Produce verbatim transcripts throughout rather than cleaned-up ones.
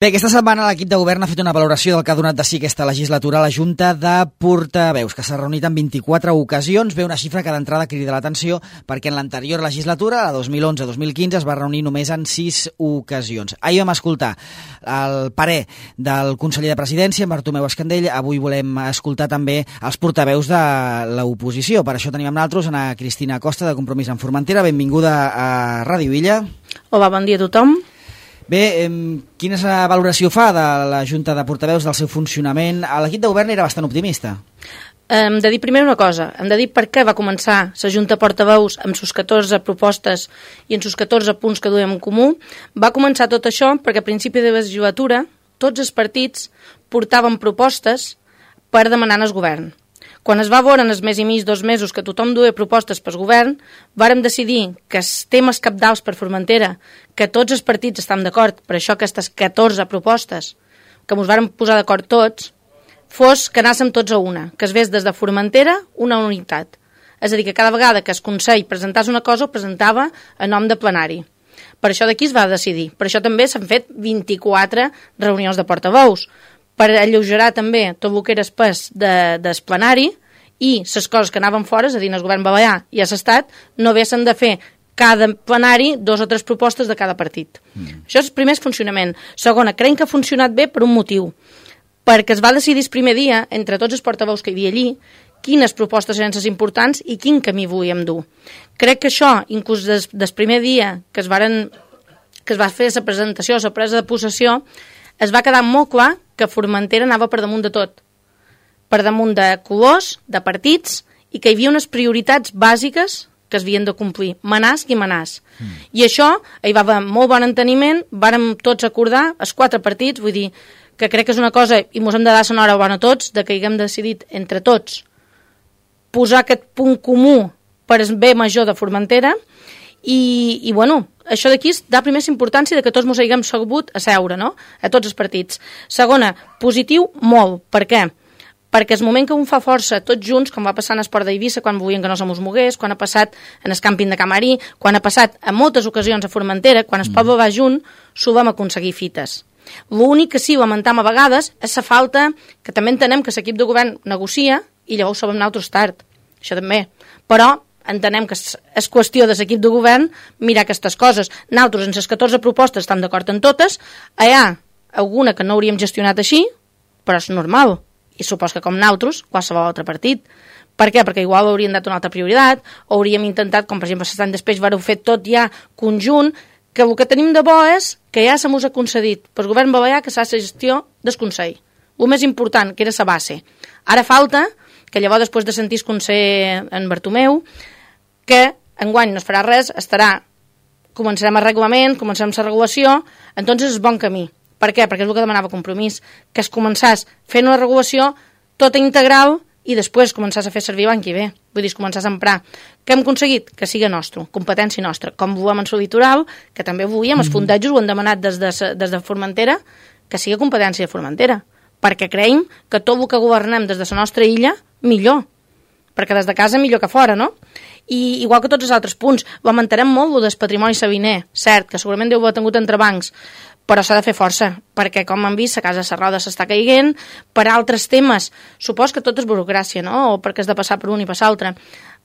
Bé, aquesta setmana l'equip de govern ha fet una valoració del que ha donat de si aquesta legislatura a la Junta de Portaveus, que s'ha reunit en vint-i-quatre ocasions. Ve una xifra que d'entrada crida l'atenció perquè en l'anterior legislatura, la dos mil onze dos mil quinze, es va reunir només en sis ocasions. Ahir vam escoltar el parer del conseller de Presidència, en Bartomeu Escandell. Avui volem escoltar també els portaveus de l'oposició. Per això tenim amb nosaltres Ana Cristina Costa, de Compromís en Formentera. Benvinguda a Ràdio Illa. Hola, bon dia a tothom. Bé, eh, quina valoració fa de la Junta de Portaveus, del seu funcionament? L'equip de govern era bastant optimista. Hem de dir primer una cosa, hem de dir per què va començar la Junta de Portaveus amb sus catorze propostes i en sus catorze punts que duem en comú. Va començar tot això perquè a principi de legislatura tots els partits portaven propostes per demanar al govern. Quan es va veure en els mes i mig, dos mesos, que tothom duia propostes pel govern, vàrem decidir que els temes cabdals per Formentera, que tots els partits estan d'acord, per això aquestes catorze propostes, que ens vàrem posar d'acord tots, fos que anàssim tots a una, que es vés des de Formentera una unitat. És a dir, que cada vegada que el Consell presentàs una cosa ho presentava a nom de plenari. Per això d'aquí es va decidir. Per això també s'han fet vint-i-quatre reunions de portaveus, per alleugerar també tot el que era espès de, del plenari i les coses que anaven fora, és a dir, el govern balear i a l'Estat, no haguessin de fer cada plenari dos o tres propostes de cada partit. Mm. Això és el primer funcionament. Segona, creiem que ha funcionat bé per un motiu, perquè es va decidir el primer dia, entre tots els portaveus que hi havia allí, quines propostes eren les importants i quin camí volíem dur. Crec que això, inclús des, des primer dia que es, varen, que es va fer la presentació, la presa de possessió, es va quedar molt clar que Formentera anava per damunt de tot, per damunt de colors, de partits, i que hi havia unes prioritats bàsiques que es havien de complir, manàs i manàs. Mm. I això, hi va haver molt bon enteniment, vàrem tots acordar, els quatre partits, vull dir que crec que és una cosa, i mos hem de dar l'enhorabona a tots, de que haguem decidit entre tots posar aquest punt comú per el bé major de Formentera, i, i bueno, això d'aquí dà primer la importància de que tots ens haguem sabut a seure, no?, a tots els partits. Segona, positiu, molt. Per què? Perquè el moment que un fa força tots junts, com va passar en Esport d'Eivissa, quan volien que no se mos mogués, quan ha passat en el càmping de Camarí, quan ha passat en moltes ocasions a Formentera, quan el poble va junt, s'ho vam aconseguir fites. L'únic que sí lamentam a vegades és la falta, que també entenem que l'equip de govern negocia i llavors sabem nosaltres tard, això també, però entenem que és qüestió de l'equip de govern mirar aquestes coses. Nosaltres, en les catorze propostes, estem d'acord en totes. Hi ha alguna que no hauríem gestionat així, però és normal. I supos que com nosaltres, qualsevol altre partit. Per què? Perquè igual hauríem dat una altra prioritat, o hauríem intentat, com per exemple l'any després vareu fer tot ja conjunt, que el que tenim de bo és que ja se mos ha concedit pel govern balear que s'ha de gestió del Consell. El més important, que era la base. Ara falta que llavors, després de sentir el conseller en Bartomeu, que enguany no es farà res, estarà, començarem el reglament, començarem la regulació, entonces és bon camí. Per què? Perquè és el que demanava Compromís, que es començàs fent una regulació tota integral i després començàs a fer servir l'any que ve. Vull dir, es començàs a emprar. Què hem aconseguit? Que sigui nostre, competència nostra. Com volem en el litoral, que també volíem, mm-hmm. els fundejos ho han demanat des de, des de Formentera, que sigui competència de Formentera. Perquè creiem que tot el que governem des de la nostra illa, millor. Perquè des de casa millor que fora, no? I igual que tots els altres punts, lamentarem molt el del patrimoni sabiner, cert, que segurament deu haver tingut entrebancs, però s'ha de fer força, perquè com han vist, la casa Serrada s'està caiguent, per altres temes, supos que tot és burocràcia, no? O perquè has de passar per un i passar altre.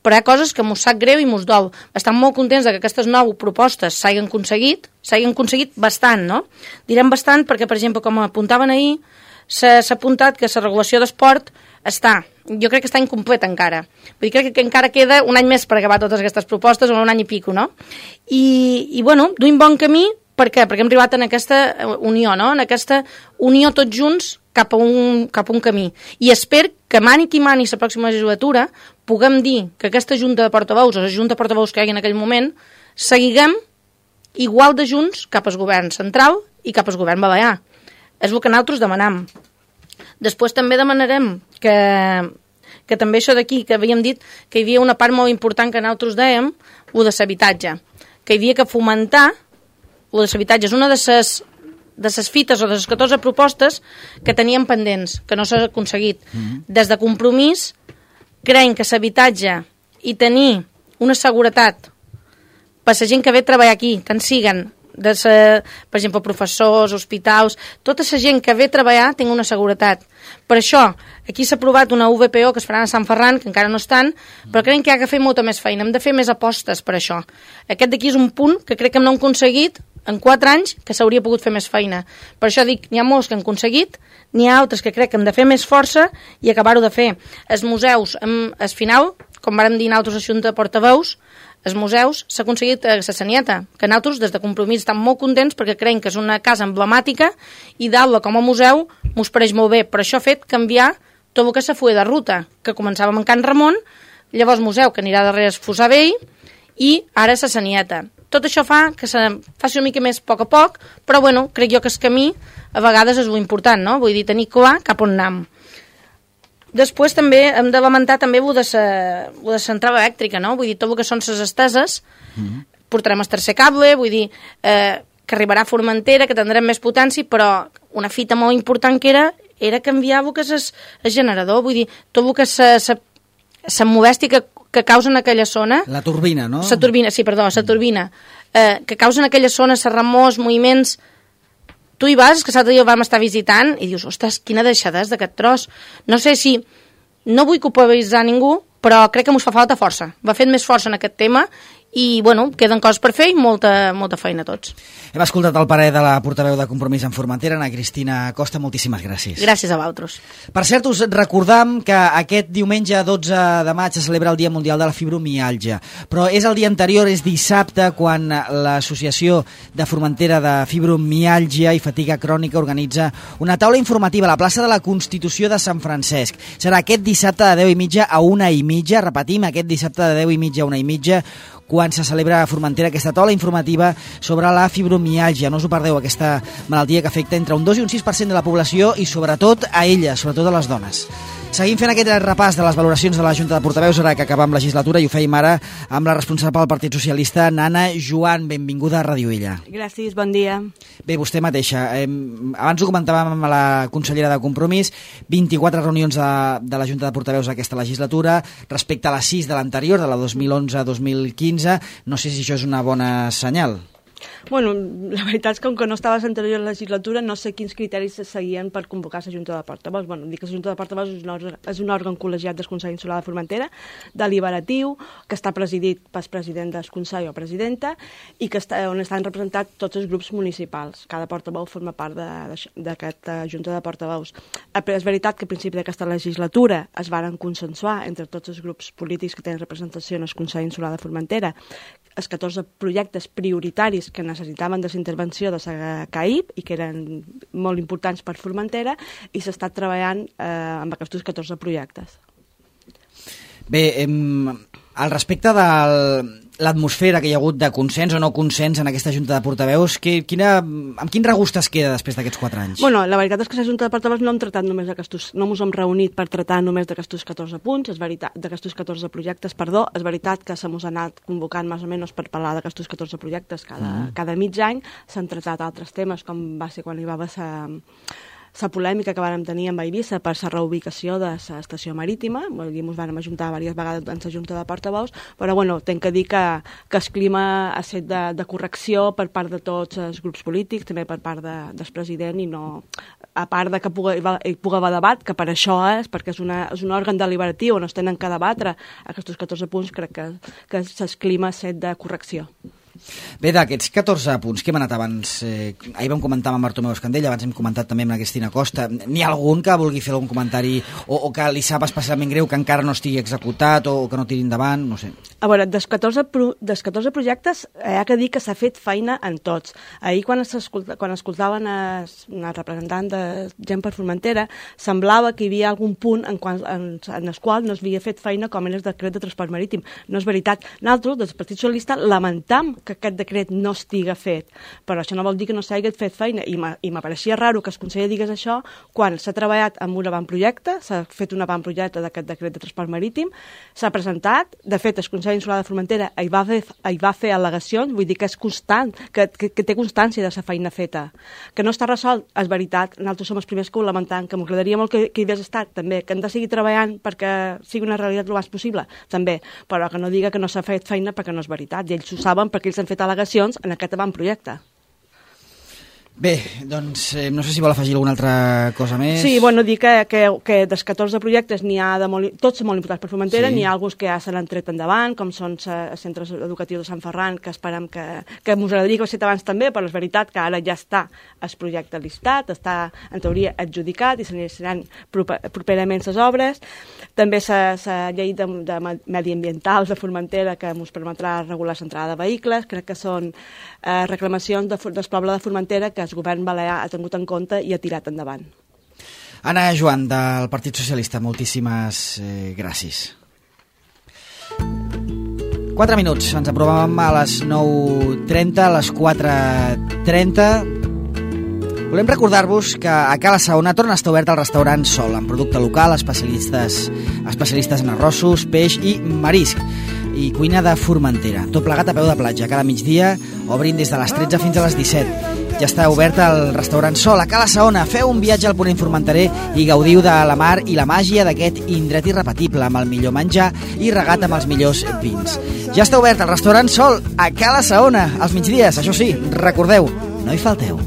Però hi ha coses que mos sap greu i mos dol. Estem molt contents que aquestes nou propostes s'hagin aconseguit, s'hagin aconseguit bastant, no? Direm bastant perquè, per exemple, com apuntaven ahir, s'ha apuntat que la regulació d'esport està, jo crec que està incomplet encara. Vull dir, crec que encara queda un any més per acabar totes aquestes propostes, o un any i pico, no? I, i bueno, duim bon camí, per què? Perquè hem arribat en aquesta unió, no? En aquesta unió tots junts cap a un, cap a un camí. I espero que mani qui mani la pròxima legislatura puguem dir que aquesta junta de portaveus, o la junta de portaveus que hi ha en aquell moment, seguiguem igual de junts cap al govern central i cap al govern balear. És el que nosaltres demanam. Després també demanarem que, que també això d'aquí, que havíem dit que hi havia una part molt important que nosaltres dèiem, el de l'habitatge, que hi havia que fomentar el de l'habitatge. És una de les de les fites o de les catorze propostes que teníem pendents, que no s'ha aconseguit. Mm-hmm. Des de Compromís, creiem que l'habitatge i tenir una seguretat per la gent que ve a treballar aquí, tant siguen de ser, per exemple, professors, hospitals, tota la gent que ve a treballar tingui una seguretat. Per això, aquí s'ha aprovat una U V P O que es faran a Sant Ferran, que encara no estan, però crec que hi ha que fer molta més feina, hem de fer més apostes per això. Aquest d'aquí és un punt que crec que no hem aconseguit en quatre anys que s'hauria pogut fer més feina. Per això dic, n'hi ha molts que han aconseguit, n'hi ha altres que crec que hem de fer més força i acabar-ho de fer. Els museus, al final, com vàrem dir nosaltres a la Junta de Portaveus, els museus s'ha aconseguit a la Sanieta, que nosaltres des de Compromís estem molt contents perquè creiem que és una casa emblemàtica i dalt-la com a museu mos pareix molt bé. Per això ha fet canviar tot el que se fulla de ruta, que començàvem en Can Ramon, llavors museu que anirà darrere el Fossar Vell i ara la Sanieta. Tot això fa que se faci una mica més a poc a poc, però bueno, crec jo que el camí a vegades és important, no? Vull dir, tenir clar cap on anem. Després també hem de lamentar també el de la central elèctrica, no? Vull dir, tot el que són les esteses, mm-hmm. portarem el tercer cable, vull dir, eh, que arribarà a Formentera, que tindrem més potència, però una fita molt important que era, era canviar el que és el, el generador, vull dir, tot el que la modèstia que que causa en aquella zona... La turbina, no? La turbina, sí, perdó, la turbina. Eh, que causa en aquella zona la remors, moviments... Tu hi vas, que l'altre dia el vam estar visitant, i dius, ostres, quina deixadesa d'aquest tros. No sé si... No vull culpabilitzar ningú, però crec que mos fa falta força. Va fent més força en aquest tema i, bueno, queden coses per fer i molta, molta feina a tots. Hem escoltat el parer de la portaveu de Compromís en Formentera, Ana Cristina Costa, moltíssimes gràcies. Gràcies a vosaltres. Per cert, us recordam que aquest diumenge dotze de maig se celebra el Dia Mundial de la Fibromiàlgia, però és el dia anterior, és dissabte, quan l'Associació de Formentera de Fibromiàlgia i Fatiga Crònica organitza una taula informativa a la plaça de la Constitució de Sant Francesc. Serà aquest dissabte de deu i mitja a una i mitja, repetim, aquest dissabte de deu i mitja a una i mitja, quan se celebra a Formentera aquesta taula informativa sobre la fibromiàlgia. No us ho perdeu, aquesta malaltia que afecta entre un dos i un sis per cent de la població i sobretot a elles, sobretot a les dones. Seguim fent aquest repàs de les valoracions de la Junta de Portaveus, ara que acabam legislatura, i ho fèiem ara amb la responsable del Partit Socialista, Nana Joan. Benvinguda a Ràdio Illa. Gràcies, bon dia. Bé, vostè mateixa. Eh, abans ho comentàvem amb la consellera de Compromís, vint-i-quatre reunions de, de la Junta de Portaveus aquesta legislatura, respecte a les sis de l'anterior, de la dos mil onze a dos mil quinze. No sé si això és una bona senyal. Bueno, la veritat és que com que no estava a l'anterior legislatura no sé quins criteris se seguien per convocar la Junta de Portaveus. Bueno, dic que la Junta de Portaveus és un òrgan, és un òrgan col·legiat del Consell Insular de Formentera, deliberatiu, que està presidit pel president del Consell o presidenta i que està, on estan representats tots els grups municipals. Cada portaveu forma part d'aquesta Junta de Portaveus. És veritat que al principi d'aquesta legislatura es varen consensuar entre tots els grups polítics que tenen representació en el Consell Insular de Formentera els catorze projectes prioritaris que necessitaven de la intervenció de la C A I P i que eren molt importants per Formentera, i s'ha estat treballant eh, amb aquests catorze projectes. Bé, em, al respecte de l'atmosfera que hi ha hagut de consens o no consens en aquesta Junta de Portaveus, que, quina, amb quin regust es queda després d'aquests quatre anys? Bueno, la veritat és que la Junta de Portaveus no hem tratat només d'aquestos, no ens hem reunit per tratar només d'aquests catorze punts, és veritat, d'aquestos catorze projectes, perdó, és veritat que se mos ha anat convocant més o menys per parlar d'aquestos catorze projectes cada, mm. cada mig any, s'han tratat altres temes, com va ser quan hi va haver sa, la polèmica que vàrem tenir amb Eivissa per la reubicació de l'estació marítima. Vull dir, ens vam ajuntar diverses vegades en la Junta de Portaveus, però bueno, tenc que dir que, que el clima ha estat de, de correcció per part de tots els grups polítics, també per part de, del president, i no, a part de que pugui, hi pugui haver debat, que per això és, perquè és, una, és un òrgan deliberatiu on es tenen que debatre aquests catorze punts, crec que, que el clima ha estat de correcció. Bé, d'aquests catorze punts que hem anat abans, eh, ahir vam comentar amb Bartomeu Escandell, abans hem comentat també amb la Cristina Costa, n'hi ha algun que vulgui fer algun comentari o, o que li sap especialment greu que encara no estigui executat o, o que no tiri endavant, no sé. A veure, dels catorze, pro, dels catorze projectes hi ha que dir que s'ha fet feina en tots. Ahir quan, quan escoltaven els, els representants de Gent per Formentera, semblava que hi havia algun punt en, quan, en, en el qual no s'havia fet feina com en el decret de transport marítim. No és veritat. Nosaltres, des del Partit Socialista, lamentam que aquest decret no estiga fet, però això no vol dir que no s'hagi fet feina, i m'apareixia raro que el conseller digués això quan s'ha treballat amb un avantprojecte, s'ha fet un avantprojecte d'aquest decret de transport marítim, s'ha presentat, de fet el Consell Insular de Formentera hi va fer, hi va fer al·legacions, vull dir que és constant, que, que, que té constància de la feina feta. Que no està resolt, és veritat, nosaltres som els primers que ho lamentam, que m'agradaria molt que, que hi hagués estat, també, que hem de seguir treballant perquè sigui una realitat el més possible, també, però que no diga que no s'ha fet feina perquè no és veritat, i ells ho saben perquè ells han fet al·legacions en aquest avantprojecte. Bé, doncs eh, no sé si vol afegir alguna altra cosa més. Sí, bueno, dir que, que, que dels catorze projectes n'hi ha de molt, tots són molt importants per Formentera, sí. N'hi ha alguns que ja se l'han tret endavant, com són els centres educatius de Sant Ferran, que esperem que, que m'us agradaria que ho fet abans també, però és veritat que ara ja està el projecte listat, està en teoria adjudicat i s'iniciaran properament les obres. També la llei de, de mediambientals de Formentera, que ens permetrà regular l'entrada de vehicles, crec que són eh, reclamacions de, del poble de Formentera que el govern balear ha tingut en compte i ha tirat endavant. Anna Joan, del Partit Socialista, moltíssimes eh, gràcies. Quatre minuts, ens aprovàvem a les nou trenta, a les quatre trenta. Volem recordar-vos que a Cala Saona torna a estar obert el restaurant Sol, amb producte local, especialistes, especialistes en arrossos, peix i marisc, i cuina de Formentera. Tot plegat a peu de platja, cada migdia, obrint des de les tretze fins a les disset. Ja està obert el restaurant Sol a Cala Saona. Feu un viatge al ponent formenterer i gaudiu de la mar i la màgia d'aquest indret irrepetible, amb el millor menjar i regat amb els millors vins. Ja està obert el restaurant Sol a Cala Saona, als migdies, això sí, recordeu, no hi falteu.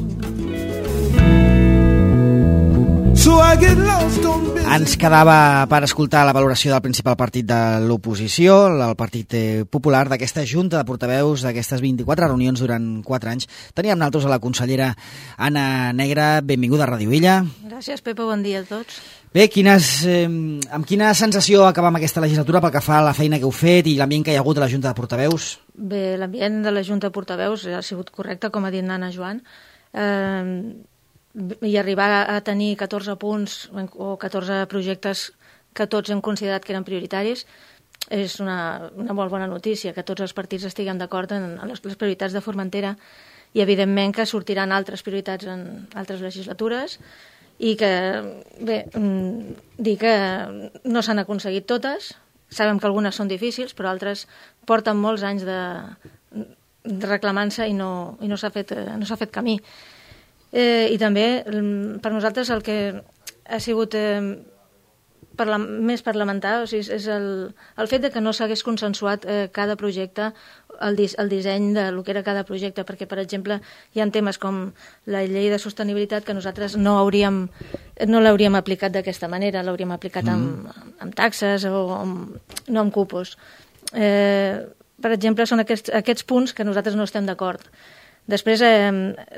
Ens quedava per escoltar la valoració del principal partit de l'oposició, el Partit Popular, d'aquesta junta de portaveus, d'aquestes vint-i-quatre reunions durant quatre anys. Teníem nosaltres a la consellera Anna Negre. Benvinguda a Ràdio Illa. Gràcies, Pepa, bon dia a tots. Bé, quines, eh, amb quina sensació acabam aquesta legislatura pel que fa a la feina que heu fet i l'ambient que hi ha hagut a la junta de portaveus? Bé, l'ambient de la junta de portaveus ha sigut correcte, com ha dit Anna Joan. Eh, i arribar a tenir catorze punts o catorze projectes que tots hem considerat que eren prioritaris és una, una molt bona notícia, que tots els partits estiguem d'acord en, en les, les prioritats de Formentera, i evidentment que sortiran altres prioritats en altres legislatures i que, bé, dir que no s'han aconseguit totes, sabem que algunes són difícils, però altres porten molts anys de, de reclamant-se i no, i no s'ha fet, no s'ha fet camí. Eh, I també, per nosaltres, el que ha sigut eh, parla més per lamentar, o sigui, és el, el fet de que no s'hagués consensuat eh, cada projecte, el, dis el disseny de lo que era cada projecte, perquè, per exemple, hi ha temes com la llei de sostenibilitat que nosaltres no hauríem, no l'hauríem aplicat d'aquesta manera, l'hauríem aplicat mm. amb, amb taxes o amb, no amb cupos. Eh, per exemple, són aquests, aquests punts que nosaltres no estem d'acord. Després eh,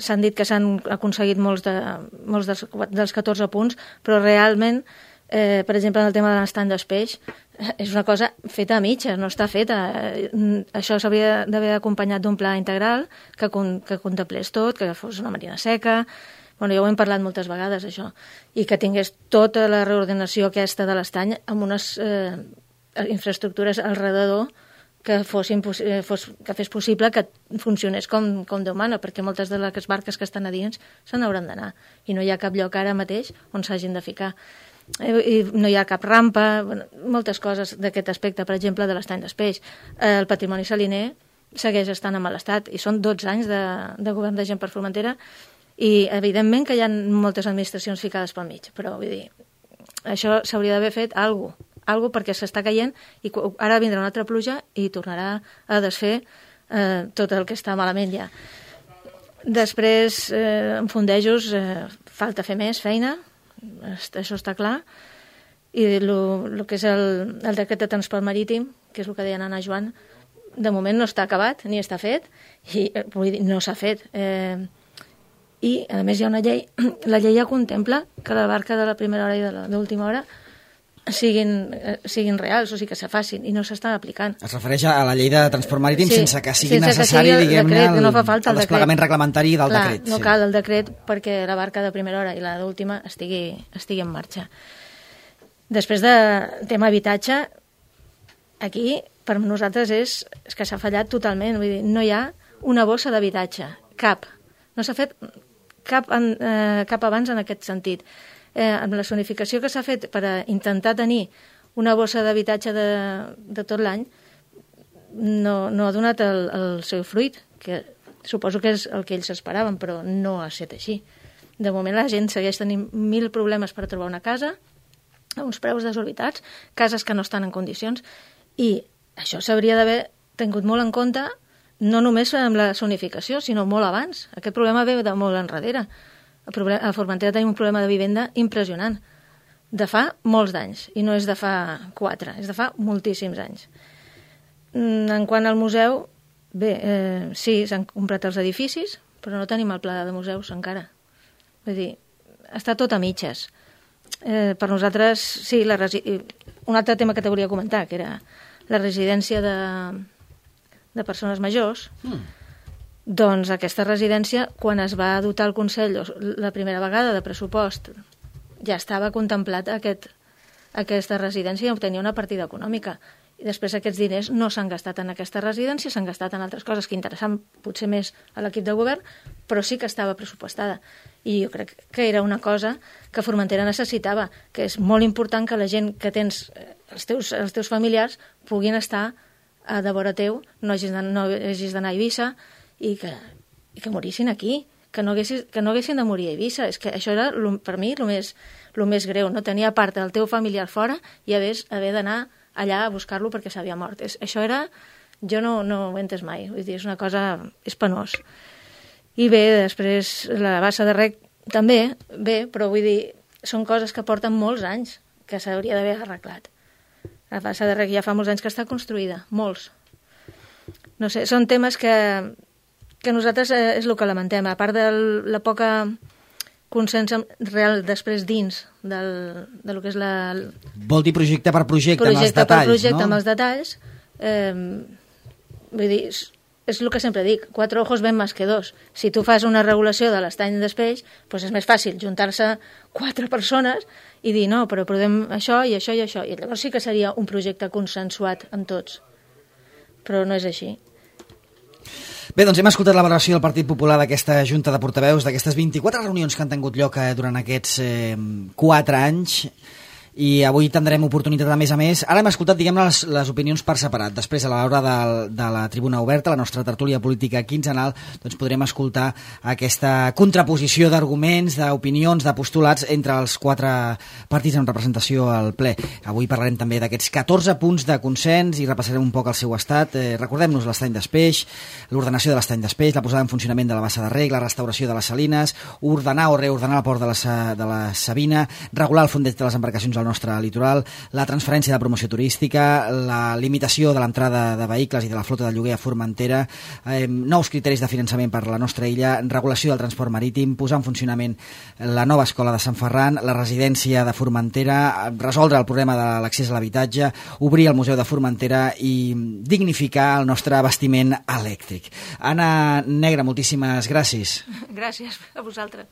s'han dit que s'han aconseguit molts, de, molts dels, dels catorze punts, però realment, eh, per exemple, en el tema de l'estany d'espeix, és una cosa feta a mitja, no està feta. Eh, això s'hauria d'haver acompanyat d'un pla integral que, con, que contemplés tot, que fos una marina seca. Bueno, ja ho hem parlat moltes vegades, això. I que tingués tota la reordenació aquesta de l'estany amb unes eh, infraestructures al redador que, fossin, fos, que fes possible que funcionés com, com Déu mana, perquè moltes de les barques que estan a dins se n'hauran d'anar i no hi ha cap lloc ara mateix on s'hagin de ficar. I no hi ha cap rampa, bueno, moltes coses d'aquest aspecte, per exemple, de l'estany d'espeix. El patrimoni saliner segueix estant en mal estat i són dotze anys de, de govern de Gent per Formentera i evidentment que hi ha moltes administracions ficades pel mig, però vull dir, això s'hauria d'haver fet alguna cosa, algo perquè s'està caient i ara vindrà una altra pluja i tornarà a desfer eh, tot el que està malament ja. Després, eh, en fondejos, eh, falta fer més feina, això està clar, i el que és el, el decret de transport marítim, que és el que deia Anna Joan, de moment no està acabat ni està fet, i vull dir, no s'ha fet. Eh, I, a més, hi ha una llei, la llei ja contempla que la barca de la primera hora i de l'última hora siguin, eh, siguin reals, o sigui que se facin, i no s'estan aplicant. Es refereix a la llei de transport marítim sí, sense que sigui sense necessari, diguem-ne, el, no fa falta el, el desplegament reglamentari del Clar, decret. No sí. cal el decret perquè la barca de primera hora i la d'última estigui, estigui en marxa. Després de tema habitatge, aquí per nosaltres és, és que s'ha fallat totalment, vull dir, no hi ha una bossa d'habitatge, cap. No s'ha fet cap, en, eh, cap abans en aquest sentit. Eh, amb la zonificació que s'ha fet per a intentar tenir una bossa d'habitatge de, de tot l'any no, no ha donat el, el seu fruit, que suposo que és el que ells esperaven, però no ha estat així. De moment la gent segueix tenint mil problemes per trobar una casa a uns preus desorbitats, cases que no estan en condicions, i això s'hauria d'haver tingut molt en compte no només amb la zonificació, sinó molt abans. Aquest problema ve de molt enrere. A Formentera tenim un problema de vivenda impressionant, de fa molts d'anys, i no és de fa quatre, és de fa moltíssims anys. En quant al museu, bé, eh, sí, s'han comprat els edificis, però no tenim el pla de museus encara. Vull dir, està tot a mitges. Eh, per nosaltres, sí, la resi... un altre tema que t'hauria de comentar, que era la residència de, de persones majors. Mm. Doncs aquesta residència, quan es va dotar el Consell la primera vegada de pressupost, ja estava contemplat aquest, aquesta residència i obtenia una partida econòmica. I després aquests diners no s'han gastat en aquesta residència, s'han gastat en altres coses que interessen potser més a l'equip de govern, però sí que estava pressupostada. I jo crec que era una cosa que Formentera necessitava, que és molt important que la gent que tens, els teus, els teus familiars, puguin estar a de vora teu, no hagis d'anar no hagis d'anar a Eivissa, i que, i que morissin aquí, que no, haguessis, que no haguessin de morir a Eivissa. És que això era, per mi, el més, el més greu, no tenir a part del teu familiar fora i haver, haver d'anar allà a buscar-lo perquè s'havia mort. És, això era... Jo no, no ho he entès mai, vull dir, és una cosa... és penós. I bé, després la bassa de rec també, bé, però vull dir, són coses que porten molts anys que s'hauria d'haver arreglat. La bassa de rec ja fa molts anys que està construïda, molts. No sé, són temes que... que nosaltres eh, és el que lamentem, a part de la poca consens real després dins del, de lo que és la... Vol dir projecte per projecte, projecte amb els detalls, per projecte, no? amb els detalls. Eh, vull dir, és, és el que sempre dic, quatre ojos ven més que dos. Si tu fas una regulació de l'estany d'espeix, doncs és més fàcil juntar-se quatre persones i dir, no, però podem això i això i això. I llavors sí que seria un projecte consensuat amb tots. Però no és així. Bé, doncs hem escoltat la valoració del Partit Popular d'aquesta Junta de Portaveus, d'aquestes vint-i-quatre reunions que han tingut lloc durant aquests eh, quatre anys, i avui tindrem oportunitat a més a més. Ara hem escoltat, diguem-ne, les, les opinions per separat. Després, a l'hora de, de la tribuna oberta, la nostra tertúlia política quinzenal, doncs podrem escoltar aquesta contraposició d'arguments, d'opinions, de postulats entre els quatre partits en representació al ple. Avui parlarem també d'aquests catorze punts de consens i repassarem un poc el seu estat. Eh, recordem-nos l'estany d'espeix, l'ordenació de l'estany d'espeix, la posada en funcionament de la bassa de reg, la restauració de les salines, ordenar o reordenar el port de la, de la Sabina, regular el fondeig de les embarcacions al nostre litoral, la transferència de promoció turística, la limitació de l'entrada de vehicles i de la flota de lloguer a Formentera, eh, nous criteris de finançament per a la nostra illa, regulació del transport marítim, posar en funcionament la nova escola de Sant Ferran, la residència de Formentera, resoldre el problema de l'accés a l'habitatge, obrir el Museu de Formentera i dignificar el nostre abastiment elèctric. Anna Negre, moltíssimes gràcies. Gràcies a vosaltres.